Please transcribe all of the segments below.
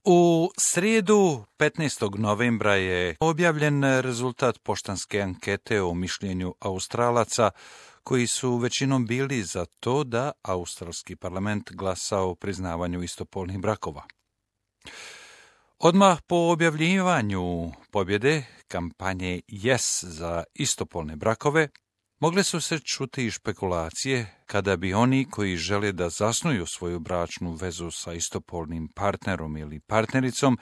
U srijedu 15. novembra je objavljen rezultat poštanske ankete o mišljenju Australaca koji su većinom bili za to da australski parlament glasa o priznavanju istopolnih brakova. Odmah po objavljivanju pobjede kampanje Yes za istopolne brakove, mogle su se čuti i špekulacije kada bi oni koji žele da zasnuju svoju bračnu vezu sa istopolnim partnerom ili partnericom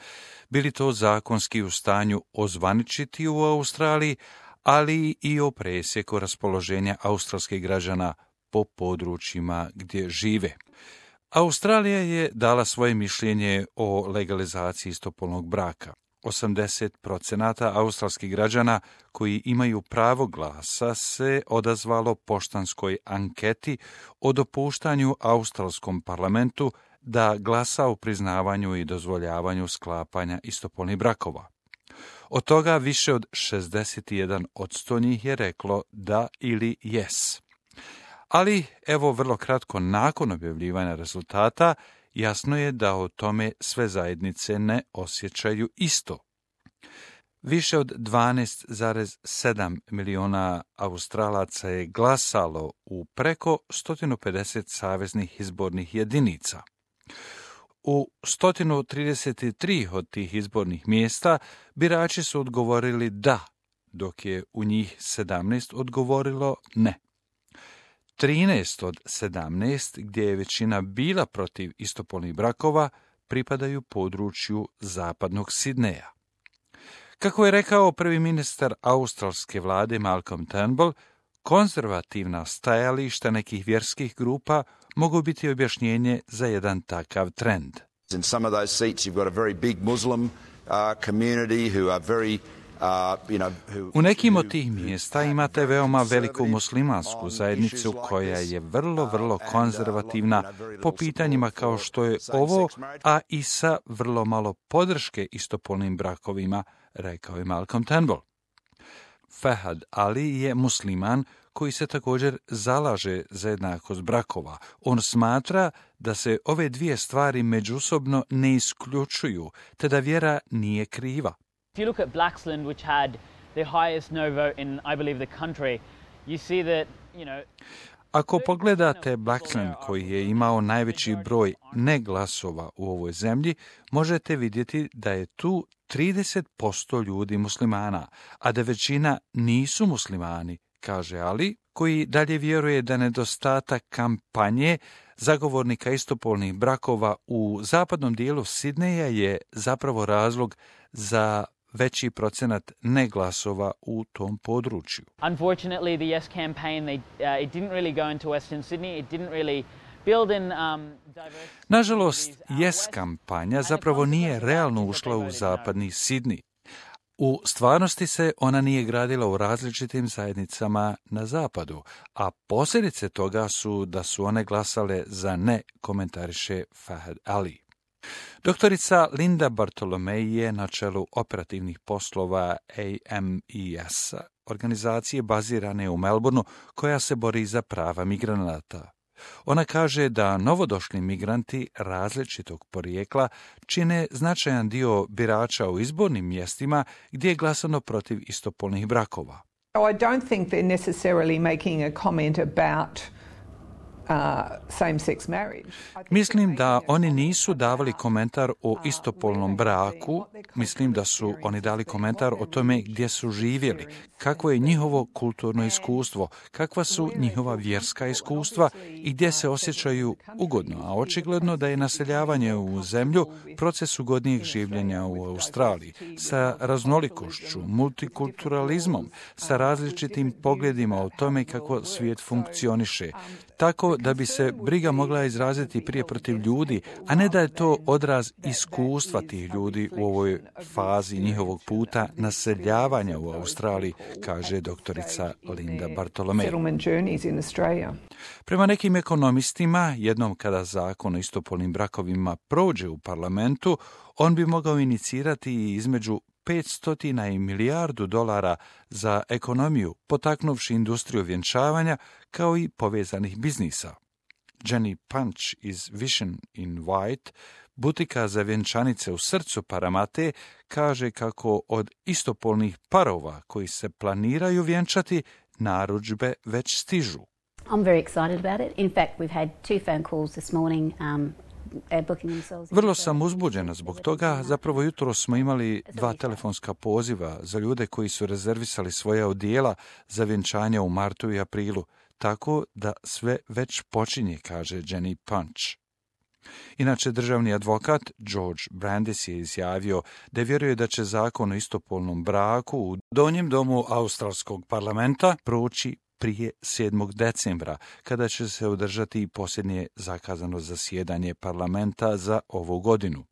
bili to zakonski u stanju ozvaničiti u Australiji, ali i o presjeku raspoloženja australskih građana po područjima gdje žive. Australija je dala svoje mišljenje o legalizaciji istopolnog braka. 80% australskih građana koji imaju pravo glasa se odazvalo poštanskoj anketi o dopuštanju australskom parlamentu da glasa o priznavanju i dozvoljavanju sklapanja istopolnih brakova. Od toga više od 61% njih je reklo da ili yes. Ali, evo vrlo kratko nakon objavljivanja rezultata, jasno je da o tome sve zajednice ne osjećaju isto. Više od 12,7 miliona Australaca je glasalo u preko 150 saveznih izbornih jedinica. U 133 od tih izbornih mjesta birači su odgovorili da, dok je u njih 17 odgovorilo ne. 13 od 17, gdje je većina bila protiv istopolnih brakova, pripadaju području zapadnog Sidneja. Kako je rekao prvi ministar australske vlade Malcolm Turnbull, konzervativna stajališta nekih vjerskih grupa mogu biti objašnjenje za jedan takav trend. In some of those seats you've got a very big Muslim community who are very U nekim od tih mjesta imate veoma veliku muslimansku zajednicu koja je vrlo konzervativna po pitanjima kao što je ovo, a i sa vrlo malo podrške istopolnim brakovima, rekao je Malcolm Turnbull. Fahad Ali je musliman koji se također zalaže za jednakost brakova. On smatra da se ove dvije stvari međusobno ne isključuju, te da vjera nije kriva. If you look at Blaxland, which had the highest no vote in, I believe, the country, you see that, Ako pogledate Blaxland, koji je imao najveći broj neglasova u ovoj zemlji, možete vidjeti da je tu 30% ljudi muslimana, a da većina nisu muslimani, kaže Ali, koji dalje vjeruje da nedostatak kampanje zagovornika istopolnih brakova u zapadnom dijelu Sidneja je zapravo razlog za veći procenat neglasova u tom području. Unfortunately, the Yes campaign, it didn't really go into Western Sydney. It didn't really build in diversity. Nažalost, Yes kampanja zapravo nije realno ušla u zapadni Sidney. U stvarnosti se ona nije gradila u različitim zajednicama na zapadu, a posljedice toga su da su one glasale za ne, komentariše Fahad Ali. Doktorica Linda Bartolomei je na čelu operativnih poslova AMES, organizacije bazirane u Melbourneu koja se bori za prava migranata. Ona kaže da novodošli migranti različitog porijekla čine značajan dio birača u izbornim mjestima gdje je glasano protiv istopolnih brakova. I don't think they're necessarily making a comment about same-sex marriage. Mislim da oni nisu davali komentar o istopolnom braku, mislim da su oni dali komentar o tome gdje su živjeli, kakvo je njihovo kulturno iskustvo, kakva su njihova vjerska iskustva i gdje se osjećaju ugodno, a očigledno da je naseljavanje u zemlju proces ugodnijeg življenja u Australiji, sa raznolikošću, multikulturalizmom, sa različitim pogledima o tome kako svijet funkcioniše, tako da bi se briga mogla izraziti prije protiv ljudi, a ne da je to odraz iskustva tih ljudi u ovoj fazi njihovog puta naseljavanja u Australiji, kaže doktorica Linda Bartolomei. Prema nekim ekonomistima, jednom kada zakon o istopolnim brakovima prođe u parlamentu, on bi mogao inicirati između 500 i milijardu dolara za ekonomiju, potaknuvši industriju vjenčavanja kao i povezanih biznisa. Jenny Punch iz Vision in White Butika za vjenčanice u srcu Paramate kaže kako od istopolnih parova koji se planiraju vjenčati, narudžbe već stižu. I'm very excited about it. In fact, we've had 2 phone calls this morning booking themselves. Vrlo sam uzbuđena zbog toga. Zapravo jutro smo imali 2 telefonska poziva za ljude koji su rezervisali svoja odijela za vjenčanje u martu i aprilu, tako da sve već počinje, kaže Jenny Punch. Inače, državni advokat George Brandis je izjavio da vjeruje da će zakon o istopolnom braku u donjem domu australskog parlamenta proći prije 7. decembra, kada će se održati posljednje zakazano zasjedanje parlamenta za ovu godinu.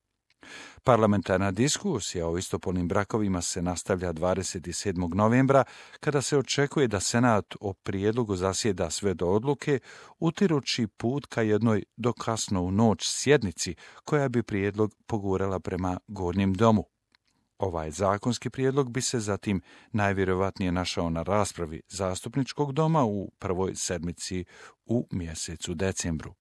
Parlamentarna diskusija o istopolnim brakovima se nastavlja 27. novembra, kada se očekuje da Senat o prijedlogu zasjeda sve do odluke, utirući put ka jednoj do kasno u noć sjednici, koja bi prijedlog pogurala prema Gornjem domu. Ovaj zakonski prijedlog bi se zatim najvjerojatnije našao na raspravi zastupničkog doma u prvoj sedmici u mjesecu decembru.